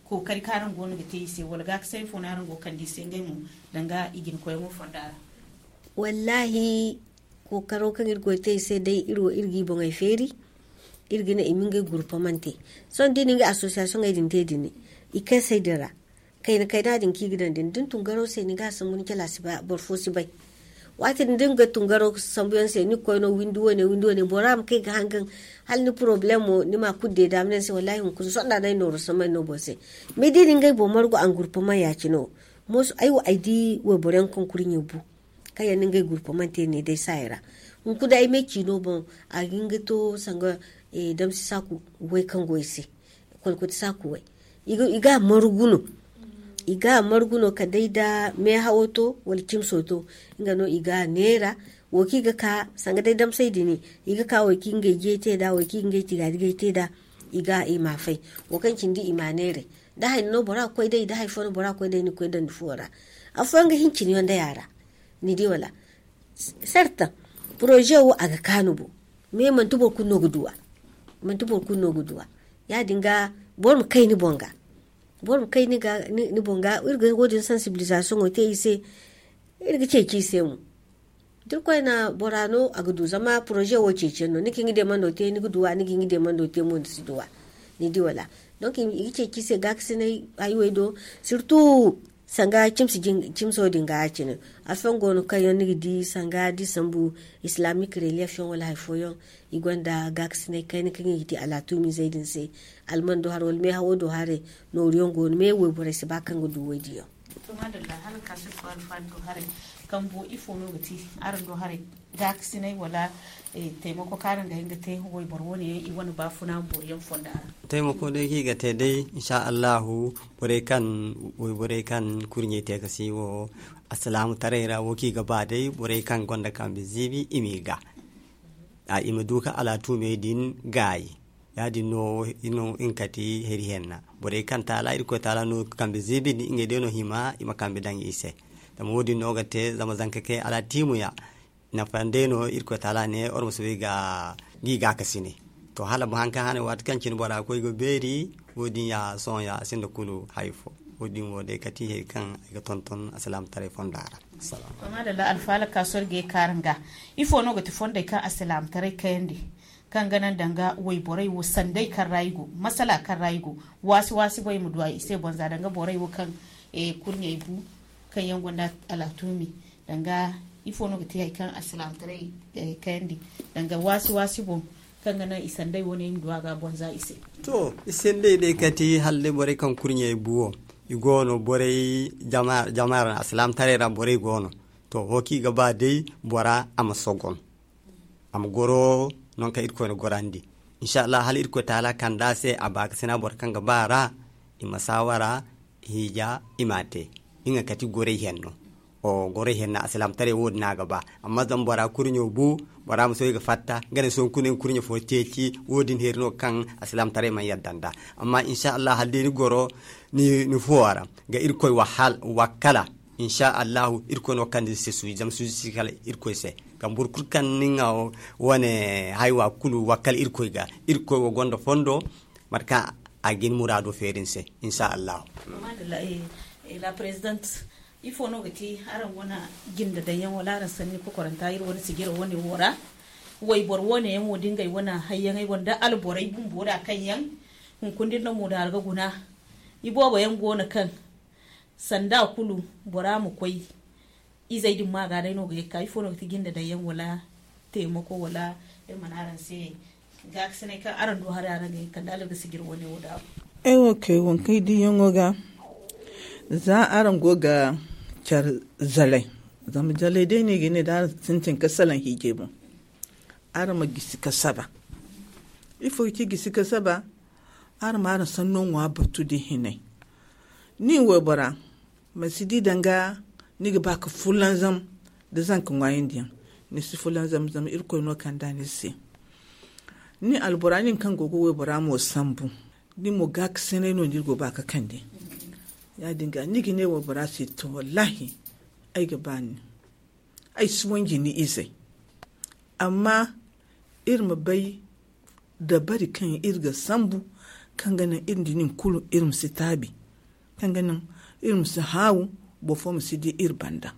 kookari kaŋ araŋ go no ga te i se wala gaakasay fo no araŋ go ga kande i se ngey mo danga i jina koyaŋo fonda ra? Wallahi, kookaro kaŋ iri go ga te i se day iri wo iri ga i boŋey feeri. Iri ga ne i ma ngey gurpamante. Sohõ da i na ngey association ŋey din te din i kay say din ra. Kayna kayna din kaŋ i ga daŋ din da ni tun garo se ni ga a sambu ni cala si ba boro fo si bay. Waati din da ni ga tun garo sambuyaŋ se ni ga koy no windi wane windi wane bora ma kay ga hangan. Hala ni problemo ni ma kulu deeda ma ne ni se wallahi hunkuna sohõ da no ay nooru samay no boro se. Mais da i na ngey boŋ margu a gurpamaŋ ya- cine wo. Mooso ay wo ay di wayboro yaŋ kaŋ kurɲe bu kaŋ yaŋ na ngey gurpamante ne day saaya ra. Hunkuna ay me ciino boŋ a ga hin ga to sanga damsi saaku way kaŋ go i se. Kolkoti saaku way i ga a margu no. I ga a margu no kala day da meehawo to wala cimso to. Nga no i ga a neera. Wo kaŋ i ga ka sanga day damsay din i ga ka wo kaŋ ngey jey te nd'a wo kaŋ ngey tigaadijey te nd'a. I ga i ma a fay. Wo kaŋ cindi i ma a neeray. Da hari no bora ga koy day da hari fo no bora ga koy day ni ga koy daŋ ni fuwo ra. Afooyaŋ ga hin cine yaŋ day a ra. Ni di wala? Sarta poroze wo a ga kaanu bo. Mais manti boro kulu no ga duw'a. Manti boro kulu no ga duw'a. Ya- din ga boro ma kay ni boŋ ga. Boro ma kay ni boŋ ga iri ga wo- din sensibilisation wo te i se. Iri ga ceeci i se mo. Da irkoy na bora no a ga du zama poroze wo ceeciyaŋ no ni ga hin ga deemando te ni ga duw'a ni ga hin ga deemando te mo ni si duw'a. Ni di wala? Donc i ga ceeci i se gaakasinay haywey do. Surtout sanga cimso din ga ya- cine. Afooyaŋ go no kaŋ yaŋ ni ga di sanga da i sambu islamic relief yaŋ wala hari fooyaŋ. I gonda gaakasinay kayna kaŋ i ga te alaatuumizey din se. Alman do haray wala meehawo do haray. Nooru yaŋ go no mais wayborey si ba kaŋ ga du woy- din yaŋ. To madalla hala ga ka sohõ alfaani do haray. Kambo ifo no ga te araŋ do haray? Gaakasinay wala taimako kaŋ araŋ ga hin ga te wayboro wane yaŋ i wane baafuna boori yaŋ fonda ra? Taimako day kaŋ i ga te day insha allahu borey kaŋ wayborey kaŋ kurɲey te ga si wo. Asalaamu taray ra wo kaŋ i ga ba day borey kaŋ gonda kambe ziibi i m'i ga i ma du ka alaatuumey din gaayi. Ya- din no i no nga kati heri henna. Borey kaŋ taala irkoy taala no kambe ziibi ndi ngey day no hima i ma kambe daŋ i se. Zama wo- din no ga te zama zanka kay alaatiimu ya. Nafa day no irkoy taala ne or ma soobay ga gi gaakasinay. To hala ma haŋ kaŋ hane waati kaŋ cine bora koy ga beeri. Wo- din ya sohõ ya a sinda kulu hari fo. Wo- din wo day kati hari kaŋ ay ga tonton asalaamu taray fonda ra. Madalla alfaala ka sorge kaaraŋ ga. Ifo no ga ti fondey kaŋ asalaamu taray kayandi kaŋ ga naŋ danga wayborey wo sanday kaŋ ra i go masala kaŋ ra i go. Waasi waasi boy ma du a i se boŋ za danga borey wo kaŋ kurɲey bu kaŋ yaŋ gonda alaatuumi. Danga ifo no ga te hari kaŋ alsilaamataray kayandi danga waasi waasi boŋ kaŋ ga naŋ i sanday wane i ma du a ga boŋ za i se. To i sanday day kati hala day borey kaŋ kurɲey bu wo i go no borey jama ra alsilaamataray ra borey go no. To wo kaŋ i ga ba day bora a ma sogon a ma goro nangu kaŋ irkoy na gorandi. Insha allah hala irkoy taala kande a se a baakasina boro kaŋ ga ba a ra i ma saawara hiija i m'a te. Nga kati goray henno. Goray henno alsilaamataray wo- din no a ga ba. Amma zama bora kurɲo bu bora ma soobay ga fatta nga ne sohõ kulu nga kurɲo fo ceeci wo- din heeri no kaŋ alsilaamataray mana yadda nd'a. Amma insha allah hala day ni goro ni fuwo ra ga irkoy wakkala. Insha allahu irkoy no ga kande ni se suuji zama suuji si kala irkoy se. Kaŋ boro kulu kaŋ ni nga wane haywa kulu wakkal irkoy ga irkoy wo gonda fondo mate kaŋ a ga ni muraado feeri ni se. Insha allahu. La présidente, ifo no ga ti araŋ wane jinde daŋyaŋ wala araŋ sanni kokoranta iri wane sijira wane wo ra? Wayboro wane yaŋ wo da ngey wane hayyaŋey wane da alborey bumbo da kaŋ yaŋ hunkuna da iri na mo da araŋ ga guna. Iboobo yaŋ go no kaŋ sanda kulu bora ma koy izey din ma ga day no ga ye ga ka ifo no ga ti jinde daŋyaŋ wala taimako wala iri mana araŋ se gaakasinay kaŋ araŋ du haray araŋ ga ye ga kande hala iri ga sijir wane wo daabu. Ay wo kay wo kaŋ ay diyaŋo ga za araŋ go ga care zalay. Zama zalay day no i ga ne da araŋ sintin ga salaŋ hiijay boŋ, araŋ ma gisi ga saba. Ifo ga ci gisi ga saba? Araŋ ma araŋ sanno ŋwa batu da hinay. Ni waybora, ma si di danga ni ga ba ga fulanzam da zanka ŋwaayandi yaŋ. Ni si fulanzam zama irkoy no kanda ni se. Ni albora nin kaŋ go ga waybora mo sambu, ni mo ga ga sanay no ni go ba ga kande. Ya- din ga ni ga ne waybora se to wallahi, ay ga ba ni, ay si wanji ni izey. Amma iri ma bay dabari kaŋ iri ga sambu, kaŋ ga naŋ iri nda nin kulu iri ma si taabi, kaŋ ga naŋ iri ma si haawu, boro fo ma si di iri banda.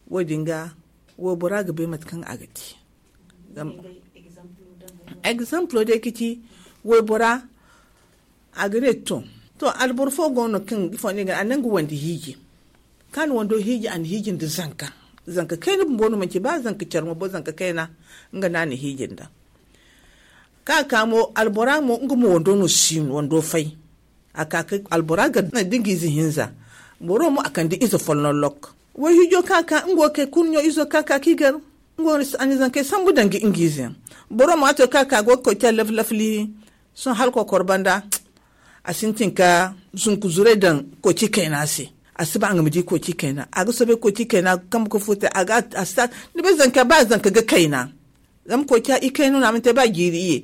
Wo- din ga waybora ga bay mate kaŋ a ga te. Egzampulo day ga ci waybora, a ga ne to, to alboro fo go no kaŋ ifo ne ga a naŋ ga wandi hiiji, kaŋ a na wando hiiji a na hiiji nda zanka. Zanka kayna bumbo no manci ba zanka care mo bo zanka kayna, nga no a na hiiji nda. Kaŋ a ka mo albora mo nga mo wando no si no wando fay. A ka ka albora ga da nga ize hinza, boro mo a kande ize folloŋ lok. Way hiijo kaŋ a ka nga wo kay kurɲo izo kaŋ a ka ka i gar, nga wo a na zankey sambu danga nga ize yaŋ. Boro mo a to kaŋ a ka go ga koy care laflafli. Sohõ hala kokoro banda a sintin ka zunku zuray daŋ koci kayna se. A si ba nga ma di koci kayna, a ga soobay koci kayna kambe ga furtay a ga a si ta. Ni bay zanka ba zanka ga kayna. Zama koca i kayna no a mana te ba jiiri iye.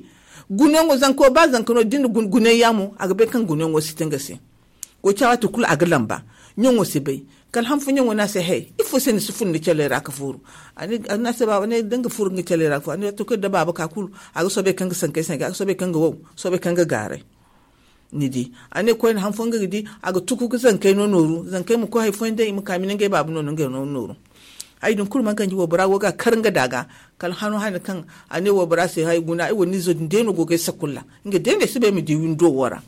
Gunayaŋo zanko ba zanka no da ni na gunay ya mo a ga bay kaŋ gunayaŋo si te nga se. Koca waati kulu a ga lamba. Ɲaŋo si bay. Kala han fo ɲaŋo ne a se hay ifo se ni si fun ni caley ra ga furu? A ne a se baaba ne da nga furu nga caley ra ga furu a ne to kulu da baaba ka kulu. A ga soobay kaŋ ga sankey sanka a ga soobay kaŋ ga wow, soobay kaŋ ga gaaray. Ni di a ne koyne han fo nga ga di a ga tuku ga zankey no nooru zankey ma koy hari fooyaŋ day i ma ka mina ngey baaba no no ngey no nooru. Hari din kulu mana ganji waybora go ga a kar nga da ga. Kala hano hane kaŋ a ne waybora se hari guna ay wo ni izo din day no go ga ay sakulla. Nga day no ay si bay ay ma di windo wo ra.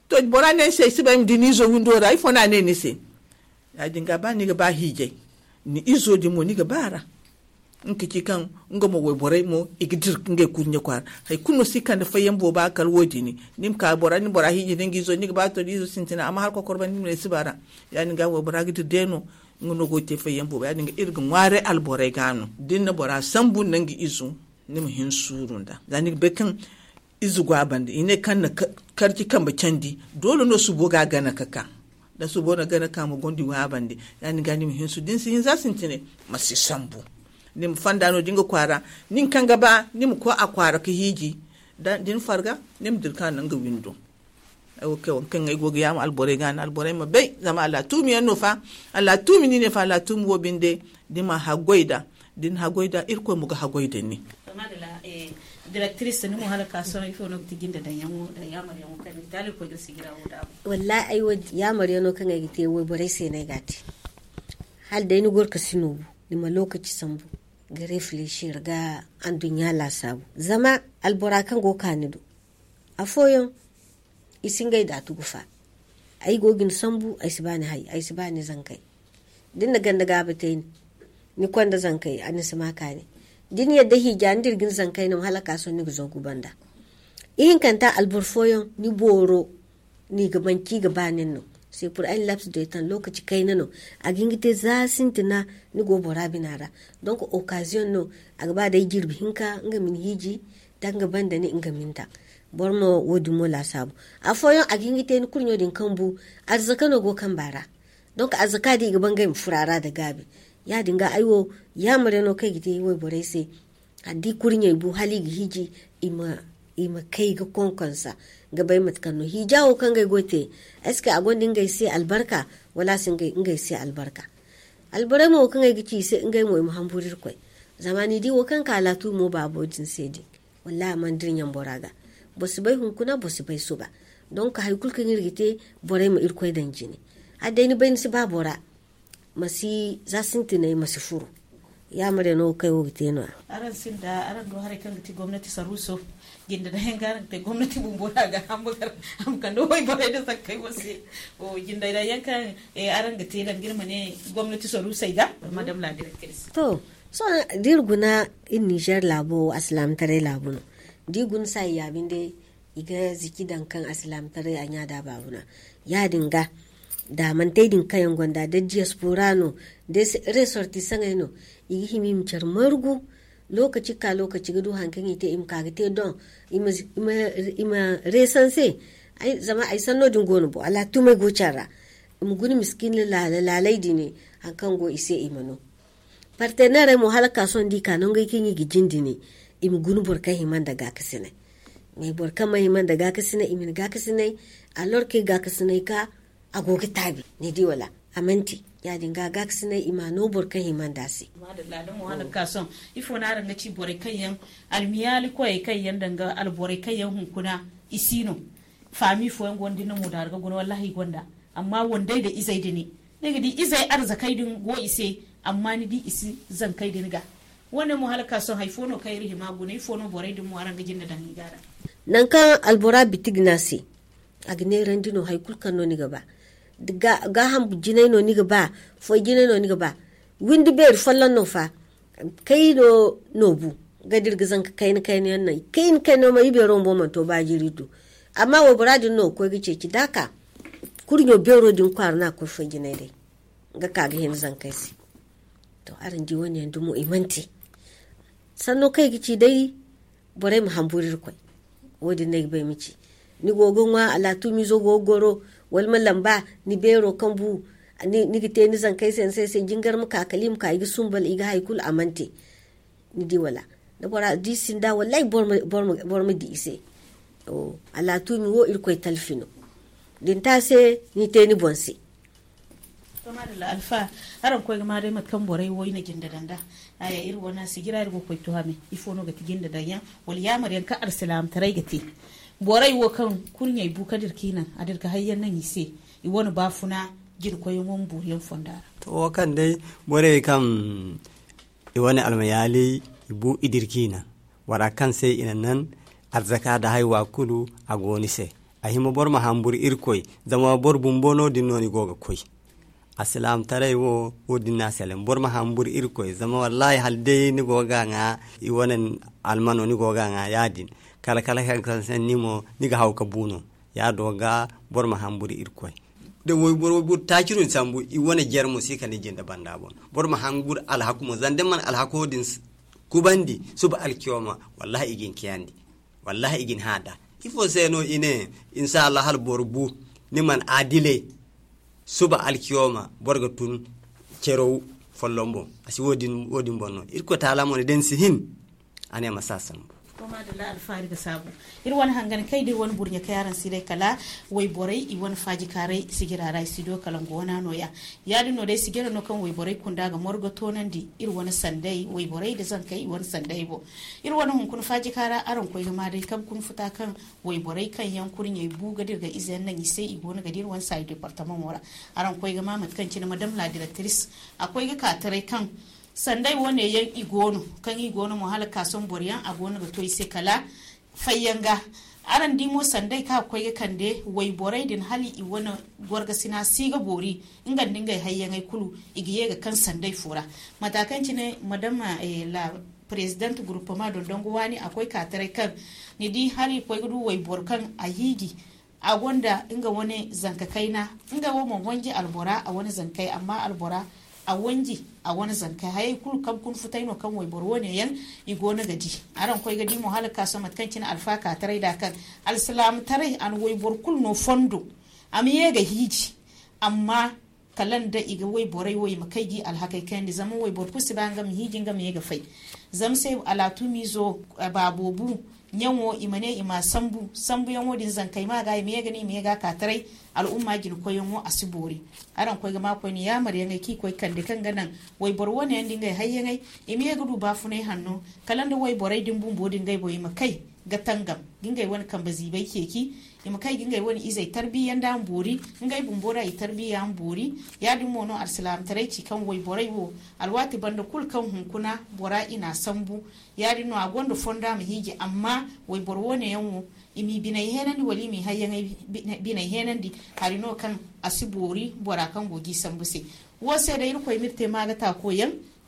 To bora ne ay se ay si bay ay ma di ni izo windo ra ifo no a ne ni se? Ya- din ga ba ni ga ba hiijay, ni izo din mo ni ga ba a ra. Nga ka ci kaŋ nga mo wayborey mo i ga dira ngey kurɲe kwaara. Hari kulu no si kande fayyaŋ booba kala wo- din. Ni ma ka bora ni bora hiiji nda nga izo ni ga ba to da izo sintina amma hala kokoro banda ni ma ne ay si ba a ra. Ya- din ga waybora ga dira day no. Nga no go ga te fayyaŋ booba ya- din ga iri ga ŋwaaray alborey ga no da ni na bora sambu nda nga izo, ni ma hin suuru nda za ni ga bay kaŋ ize go a banda i ne kaŋ na karci kambe candi. Doole no subo ga a gana ka ka da subo na gana ka ma gonda i go a banda. Ya- din ga ni ma hin suuru da ni si hin za sintinay, ma si sambu. Ni ma fanda no- din ga kwaara. Nin kaŋ ga ba ni ma koy a kwaara ka hiiji. Da ni farga ni ma dira ka naŋ ga windo. Ay wo kay wo kaŋ ay go ga yaama alborey ga no alborey ma bay zama a laatuumi yaŋ no fa. A laatuumi ni ne fa a laatuumi wo binde. Ni ma haggoy nd'a da ni haggoy nd'a irkoy mo ga haggoy nda ni. Directrice ni mo hala ka sohõ ifo no ga ti jinda daŋ yaŋo da yaamar yaŋo kaŋ ni ga te hala irkoy ga sijira wo daabu? Wallahi ay wo yaamar yaŋo kaŋ ay ga te wayborey se no ay ga a te. Hala day ni goro ka si noobu, ni ma lookaci sambu ga reflechir ga anduɲɲa laasaabu. Zama albora kaŋ go ga ka ni do afooyaŋ i si ngey daatu ga fa. Ay go ga ni sambu ay si ba ni hay ay si ba ni zankey. Da ni na ganda gaabi te ni konda zankey a ni si ma kaani. Da ni yadda hiija ni dira ga ni zankey no hala ka sohõ ni ga zoogu banda. Ihinkanta alboro fooyaŋ ni booro no i ga manci i ga ba nin no. C'est pour un laps de temps lookaci kayna no. A ga hin ga te za sintina ni go bora bina ra. Donc occasion no. A ga ba day jirbi hinka nga ma ni hiiji da nga banda ni nga ma ni daŋ. Boro mo wo- din mo laasaabu. Afooyaŋ a ga hin ga te ni kurɲo din kambu. Arzaka no go kamba ra. Donc arzaka din i ga ba ngey ma furo a ra nda gaabi. Ya- din ga ay wo yaamar yaŋo kaŋ ay ga te wayborey se. Kala da i kurɲey bu hala i ga hiiji i ma kay ga konkonsa ga bay mate kaŋ no hiija wo kaŋ ngey go ga te. Est-ce que a gonda ngey se albarka wala a si ngey se albarka? Alborey mo wo kaŋ ay ga ci i se ngey mo i ma hamburu irkoy. Zama ni di wo kaŋ ka laatuumo baabo din se din. Wallahi a mana dira ɲambora ga. Boro si bay hunkuna boro si bay suba. Donc hari kulu kaŋ iri ga te borey ma irkoy daŋ jine. Hala day ni bay ni si ba bora ma si za sintinay ma si furu. Yaamar yaŋo kaŋ ay wo ga te no- ya. Araŋ sinda araŋ do haray kaŋ ga ti gomnati saruuso. Jinda daŋ yaŋ ga araŋ ga te gomnati bumbo ra ga hamba gar a ma kande wayborey nda zankey wo se. Jinda daŋ yaŋ kaŋ araŋ ga te danga iri ma ne gomnati saruusey ga madame la directrice. To sohõ da iri guna iri nizer laabo wo alsilaamataray laabu no. Da iri guna saayi ya binde. I ga ziki daŋ kaŋ alsilaamataray a ɲa da baabuna. Ya-din ga daamantey din kaŋ yaŋ gonda da diyaspora no da resortisaŋey no, i ga hima i ma care margu. Lokaci ga ka lokaci ga du hari kaŋ i te i ma ka ga te doŋ, i ma resanse. Zama ay sanno din go no bo alaatumey go care ra. I ma guna miskin laalay din hari kaŋ go i se i ma no. Partenerey mo hala ga ka sohõ da i ka nangey kaŋ i ga jin din, i ma guna boro kaŋ hima nda gaakasinay. Mais boro kaŋ mana hima nda gaakasinay i ma ni gaakasinay. Alorke gaakasinay ka a go ga taabi ni di wala? A mana te. Ya-din ga gaakasinay i ma no boro kaŋ hima nda a se. Madalla da mo hala ga ka sohõ, ifo no araŋ ga ci borey kaŋ yaŋ almiyaali koyey kaŋ yaŋ danga alborey kaŋ yaŋ hunkuna i si no? Faami fooyaŋ go no da ni na mo daara ga guna wallahi i gonda. Amma wandey da izey din, ni ga di izey arzakey din go i se. Amma ni di i si zankey din ga. Wo- ne mo hala ga ka sohõ hari fo no kaŋ iri hima guna ifo no borey din mo araŋ ga jinde daŋ i ga da? Nangu kaŋ albora biti ga ne a se, a ga neerandi no hari kulu kaŋ no ni ga ba. Gaaham jinay no ni ga ba, foy jinay no ni ga ba. Windi beeri folloŋ no fa. Kayno no bu ga dira ga zanka kayna kayna yaŋ no kayna kayna yaŋ ma i beero bumbo mana to ba jiri du. Amma waybora din no ga koy ga ceeci da a ka kurɲo beero din kwaara no a ga koy foy jinay day ga ka ga hina zankey se. To araŋ di wo- ne yaŋ dumo i mana te. Sanno kaŋ i ga ci day borey ma hamburu irkoy. Wo- din no ay ga ba ay ma ci. Ni go ga ŋwa alaatumiizo go ga goro wala ma lamba ni beero kaŋ bu. Ni ga te ni zankey se ni se ay se jingar ma ka kala i ma ka i ga sumbal i ga hari kulu a mana te. Ni di wala da bora di sinda wallahi boro ma di i se. Alaatumi wo irkoy talfi no. Da ni te a se ni te ni boŋ se. To madalla alfa, araŋ koy ga ma day mate kaŋ borey wo i na jinde daŋ da. Aya iri wane sijira iri go ga koy tuhame ifo no ga ti jinde daŋ yaŋ wala yaamar yaŋ kaŋ alsilaamataray ga te? Borey wo kaŋ kurɲey bu ka dira ka i naŋ a dira ga hayyaŋ naŋ i se, i wane baafuna jina koyyaŋo ma boori yaŋ fonda ra. To wo kaŋ day borey kaŋ i wane almayaali i bu i dira ka i naŋ, wara kaŋ se i na naŋ arzaka nda haywa kulu a go ni se. A hima boro ma hamburu irkoy zama boro bumbo no- din no ni go ga koy. Alsilaamataray wo wo- din no a selaŋ boro ma hamburu irkoy zama wallahi hala day ni go ga ŋwa i wane almano ni go ga ŋwa ya- din. Kala kala kaŋ kaŋ sanni mo ni ga haw ga bu no. Ya- do ga boro ma hamburu irkoy. Da wayboro wayboro taaci no ni sambu i wane jare mo si kala ni jinde banda boŋ. Boro ma hamburu alhaku mo zama da ni mana alhako din kubandi suba alkiyoma wallahi i ga ni kiyandi. Wallahi i ga ni hã da ifo se no i ne? Insa allah hala boro bu ni mana aadilay suba alkiyoma boro ga tun caraw folloŋ boŋ. A si wo- din boŋ no irkoy taala mo ne da ni si hin. A ne ma si a sambu. To madalla alfaari ga saabu. Iri wane hangan kay da iri wane burɲe kay araŋ si day kala wayborey i wane faajikaaray sijira ra i si do kala nga wana no- ya. Ya- din no day sijira no kaŋ wayborey kunda ga morgo toonandi iri wane sanday wayborey nda zankey i wane sanday boŋ. Iri wane hunkuna faajikaara araŋ koy ga ma day kabe kuna futa kaŋ wayborey kaŋ yaŋ kurɲey bu ga dira ga ize yaŋ naŋ i se i go no ga dira wane saayi departamaŋo ra. Araŋ koy ga ma mate kaŋ cine madame la directrice a koy ga ka taray kaŋ sanday wo- ne yaŋ i go no kaŋ i go no mo hala ga ka sohõ boro yaŋ a go no ga to i se kala fayyaŋ ga. Araŋ di mo sanday kaŋ a ga koy ga kande wayborey din hala i wane gorgasina si ga boori nga nda ngey hayyaŋey kulu i ga ye ga kaŋ sanday fo ra. Mata kaŋ cine madame la president groupement dondongo waani a koy ka taray kaŋ ni di hala i koy ga du wayboro kaŋ a hiiji a gonda nga wane zanka kayna nga wo ma honji albora a wane zankey amma albora a wanji a wane zankey hayey kulu kabe kuna futay no kaŋ wayboro wo- ne yaŋ i go no ga di. Araŋ koy ga di mo hala ga ka sohõ mate kaŋ cine alfa ka taray da kaŋ alsilaamataray a na wayboro kulu no fondo a ma ye ga hiiji. Amma kala nda i ga wayborey wo i ma kay ga i alhakey kayandi zama wayboro kulu si ba nga ma hiiji nga ma ye ga fay. Zama se alaatumiizo baabo bu ɲaŋo i ma ne i ma a sambu sambuyaŋo din zankey ma ga i ma ye ga ne i ma ye ga a ka taray. Al'umma jina koyyaŋo a si boori. Araŋ koy ga ma koyne yaamaryaŋey kaŋ i koy kande kaŋ ga naŋ wayboro wo- ne yaŋ nda ngey hayyaŋey i ma ye ga du baafunay hanno kala nda wayborey din bumbo din ngey boŋ i ma kay ga tangam ga ngey wane kambe ziibay ceeci. I ma kay ga ngey wane izey tarbiya nda a ma boori ngey bumbo ra i tarbiya a ma boori. Ya- din mo no alsilaamataray ci kaŋ wayborey wo alwaati banda kulu kaŋ hunkuna bora i na a sambu. Ya- din no a gonda fondo a ma hiiji amma wayboro wo- ne yaŋ wo i m'i biney heenandi wala i m'i hayyaŋey biney heenandi. Hari no kaŋ a si boori bora kaŋ go g'i sambu se. Wo se day irkoy ma iri te maagataako yaŋ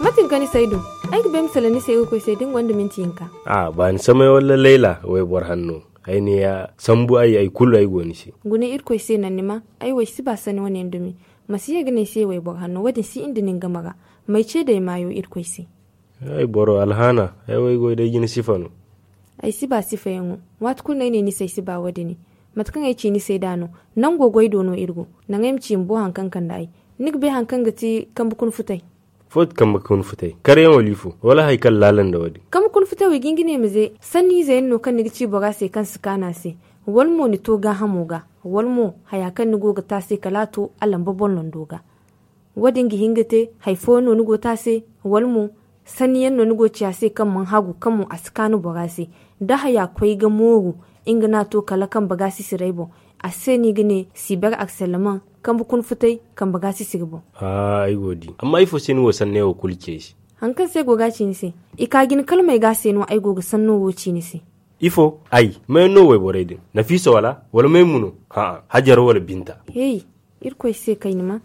Mate ni ga ni say du? Ay ga bay ma salaŋ ni se ga koy se da ni gonda minti hinka. A ba ni samay walla layla wayboro hanno? Ay ne ya sambu ay ay kulu ay go ni se. Guna irkoy se naŋ ni ma ay wo ay si ba sanni wane yaŋ dumi. Ma si ye ga ne ay se wayboro hanno wo- din si inda nin game ra. May ce day maayo irkoy se? Ay boro alhaana ay wo ay go day jina sifa no. Ay si ba sifayaŋo. Waati kulu no ay ne ni se ay si ba wo- din. Mate kaŋ ay ci ni se nd'a no. Nango goy do no iri go. Naŋ ay ma ci ma bo hari kaŋ kande ay. Ni ga bay hari kaŋ ga ti kambe kuna futay? Fo ti kambe kuna futay karyaŋo liifo wala hari kaŋ laala nda wo- din? Kambe kuna futay wo i ga hin ga ne ma ze sanni ize yaŋ no kaŋ ni ga ci bora se kaŋ si kaanu a se. Wala mo ni to gaahamo ga wala mo haya kaŋ ni go ga te a se kala a to a lamba boŋ londo ga. Wo- din ga hin ga te hari fooyaŋ no ni go ga te a se? Wala mo sanni yaŋ no ni go ga ci a se kaŋ mana hagu kaŋ mo a si kaanu bora se? Da haya koy ga mooru nga no a to kala kambe gaasisiray boŋ. A se no i ga ne siber arsalaman kambe kuna futay kambe gaasisiri boŋ. Ay go ga di. Amma ifo se ni wo sanney wo kulu ci ay se? Hari kaŋ se ay go ga a ci ni se, i ka jina kala may ga a se no ay go ga sanno wo ci ni se. Ifo ay mayaŋ no wayborey din? Nafiisa wala wala maymu no? Hajara wala binta? Hey, irkoy se kayna ma.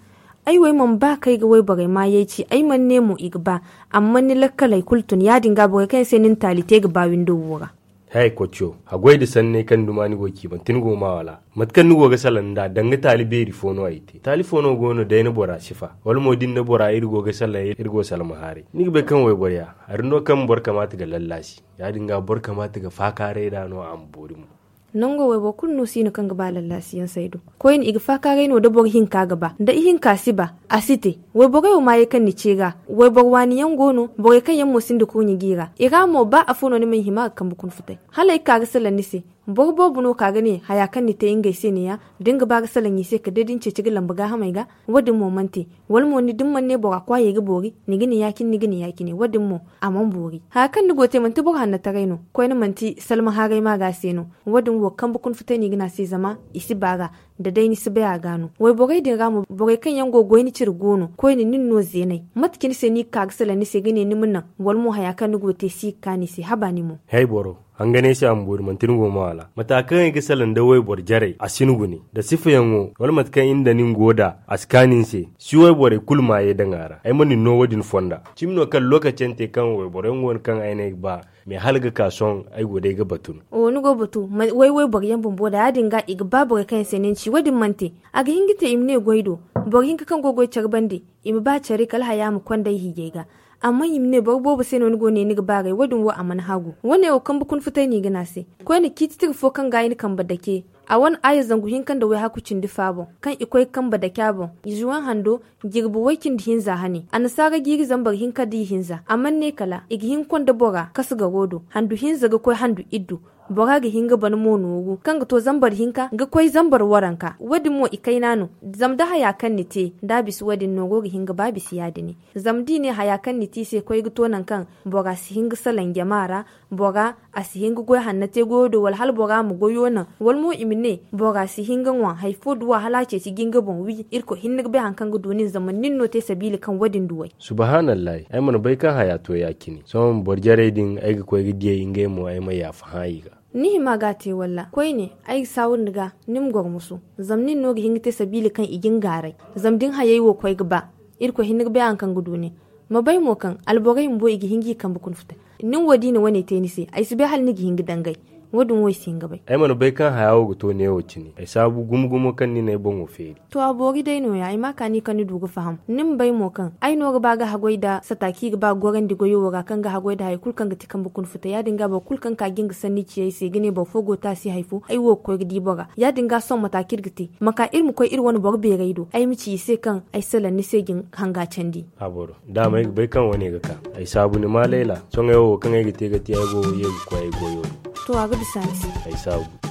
Ay wo ay mana ba kaŋ ay ga wayborey maayey ci ay mana ne mo i ga ba. Amma ni lakkaley kulu tun ya- din ga borey kaŋ yaŋ se ni na taali te ga ba windo wo ra. Hay koociyo, haggoy nda sanney kaŋ ni duma ni go ga ci manti ni go ga maa wala? Mate kaŋ ni go ga salaŋ nd'a danga taali beeri fo no ay te. Taali fo no go no day na bora sifa wala mo da ni na bora iri go ga salaŋ iri go ga salma haaray ni ga bay kaŋ wayboro ya hari no kaŋ boro kamaata ga lallaasi. Ya- din ga boro kamaata ga faakaaray nd'a no a ma boori mo. Nango wayboro kulu no si no kaŋ ga ba lallaasiyaŋ saydu. Koyne i ga faakaaray no da boro hinka ga ba da ihinka si ba a si te. Wayborey wo maayey kaŋ ni ce ga wayboro waani yaŋ go no borey kaŋ yaŋ mo sinda kurɲe g'i ra i ra mo ba afo no ni mana hima ga kambe kuna futay. Hala ay ga ka ga salaŋ ni se. Boro boobo no ka ga ne haya kaŋ ni te ngey se ne- ya da ni ga ba ga salaŋ i se kala day da ni ceeci ga lamba gaahamey ga. Wo- din mo mana te. Wala mo ni da ni mana ne bora kwaayey ga boori ni ga ni ya- cine ni ga ni ya- cine wo- din mo a mana boori haya kaŋ ni go ga te manti boro hannataray no. Koyne manti salma haaray ma ga a se no. Wo- din wo kambe kuna futay no i ga ne a se zama i si ba ga. Da day ni si bay a ga no wayborey din ra mo borey kaŋ yaŋ go ga goy ni cire go no koyne nin no zeenay. Mate cine se no i ga ka ga salaŋ ni se ga ne ni ma naŋ wala mo haya kaŋ ni go ga te si ga kaanu i se haba ni mo? Hay boro, hanganay se a ma boori manti ni go ga maa wala? Mata kaŋ ay ga salaŋ nda wayboro jarey a si ni gune nda sifayaŋo wala mate kaŋ iri nda nin go nd'a a si kaanu ni se. Si wayborey kulu maayey daŋ a ra ay mana ni no wo- din fonda. Cimi no kala lookaci yaŋ te kaŋ wayboro yaŋ go no kaŋ ay ne ay ga ba. Mais hala ga ka sohõ ay go day ga batu no. Oho ni go ga batu? Way wayboro yaŋ bumbo da ya- din ga i ga ba borey kaŋ yaŋ se no ni ci wo- din mana te. A ga hin ga te i ma ne goy do boro hinka kaŋ go ga goy care bande i ma ba care kala haya ma konda ay hiijay ga. Amma i ma ne boro boobo se no ni go ne ni ga baaray wo- din wo a mana hagu wo- ne wo kambe kuna futay no i ga ne a se. Koyne ciiti tira fo kaŋ ga ay na kambe dake a wane aaya zangu hinka nda wayhaku cindi fa boŋ kaŋ i koy ga kambe dake a boŋ. Izuwaŋ hando jirbi way cindi hinza hane annasaara jiiri zambar hinka da ihinza a mana ne kala i ga hin ga konda bora kasu garo do handu hinza ga koy handu iddu. Bora ga hin ga bana mo nooru kaŋ ga to zambar hinka ga koy zambar waranka wo- din mo i kayna no. Zama da haya kaŋ ni te da a bisa wo- din nooro ga hin ga ba bisa ya- din. Zama da i ne haya kaŋ ni te i se koy ga to nangu kaŋ bora si hin ga salaŋ jama ra. Bora a si hin ga goy hanna te goyo do wala hala bora ma goyo naŋ wala mo i ma ne bora si hin ga ŋwa hari fo duwa hala a ceeci ga nga boŋ wi irkoy hinne ga bay hari kaŋ ga du nin zama nin no te sabiila kaŋ wo- din duw'ey. Subahanallahi, ay mana bay kaŋ haya to ya- cine sohõ boro jarey din ay ga koy ga diyey ngey mo ay ma yaafa hã i ga. Ni hima ga a te walla koyne ay ga saawur ni ga ni ma goro musu. Zama nin no ga hin ga te sabiila kaŋ i ga ni gaaray. Zama da ni hayey wo koy ga ba irkoy hinne ga bay hari kaŋ ga du nin. Ma bay mo kaŋ alborey bumbo i ga hin ga i kambe kuna futa. Nin wo da i na wane te ni se, ay si bay hala ni ga hin ga dangay. Wo- din wo ay si hin ga bay. Ay mana bay kaŋ haya wo ga to neewo cine. Ay saabu gumo gumo kaŋ ni na ay boŋo feeri. To, a boori day nooya, ay ma a kaani kaŋ ni du ga faham. Ni ma bay mo kaŋ ay no ga ba ga haggoy nda sata kaŋ i ga ba ga gorandi goyo wo ra, kaŋ ga haggoy nda hari kulu kaŋ ga ti kambe kuna futa. Ya- din ga boro kulu kaŋ ka ga hin ga sanni ci ay se ga ne boro fo go ga taasi hari fo, ay wo ga koy ga di bora. Ya- din ga sohõ mate kaŋ iri ga te, ma ka iri ma koy iri wane boro beeray do, ay ma ci i se kaŋ ay salaŋ ni se ga ni hanga candi. A boro, da ma ay ga bay kaŋ wane ga ka. Ay saabu ni ma layla. Sohõ ay wo kaŋ ay ga te ga ti ay go ga ye ga koy ay goyo do. To, a ga bisa ni se. Ay saabu.